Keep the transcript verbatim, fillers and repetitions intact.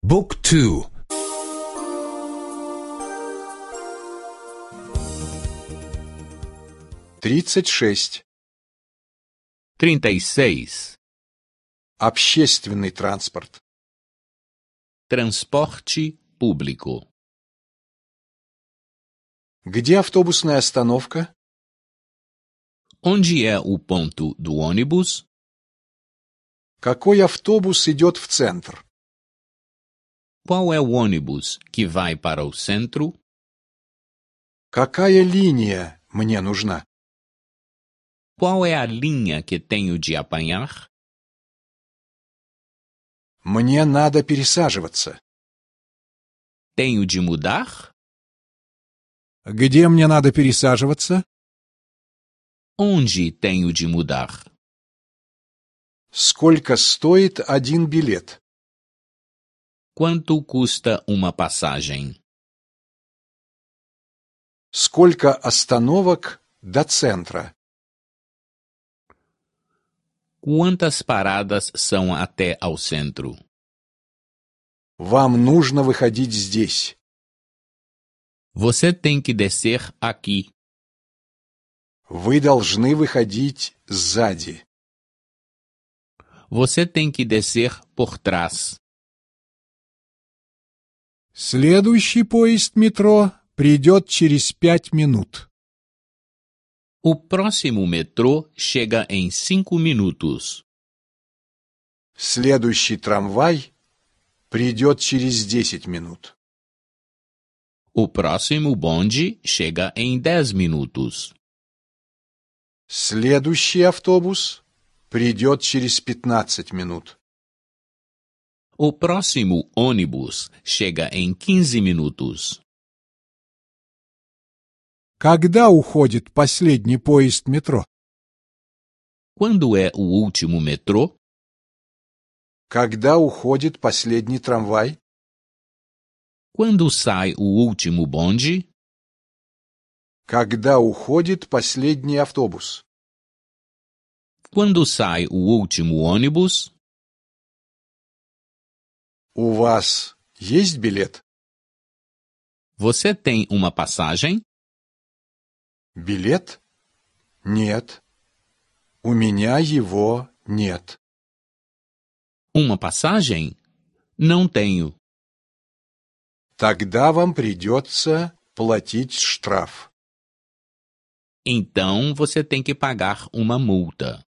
Book two. тридцать шесть. trinta e seis. Общественный транспорт. Transporte público. Где автобусная остановка? Onde é o ponto do ônibus? Какой автобус идет в центр? Qual é o ônibus que vai para o centro? Какая линия мне нужна? Qual é a linha que tenho de apanhar? Мне надо пересаживаться. Tenho de mudar? Где мне надо пересаживаться? Onde tenho de mudar? Сколько стоит один билет? Quanto custa uma passagem? Сколько остановок до центра? Quantas paradas são até ao centro? Вам нужно выходить здесь. Você tem que descer aqui. Вы должны выходить сзади. Você tem que descer por trás. Следующий поезд метро придет через пять минут. O próximo metrô chega em cinco minutos. Следующий трамвай придет через десять минут. O próximo bonde chega em dez minutos. Следующий автобус придет через пятнадцать минут. O próximo ônibus chega em quinze minutos. Когда уходит последний поезд метро? Quando é o último metrô? Когда уходит последний трамвай? Quando sai o último bonde? Когда уходит последний автобус? Quando sai o último ônibus? У вас есть билет? Você tem uma passagem? Билет? Нет. У меня его нет. Uma passagem? Não tenho. Тогда вам придется платить штраф. Então você tem que pagar uma multa.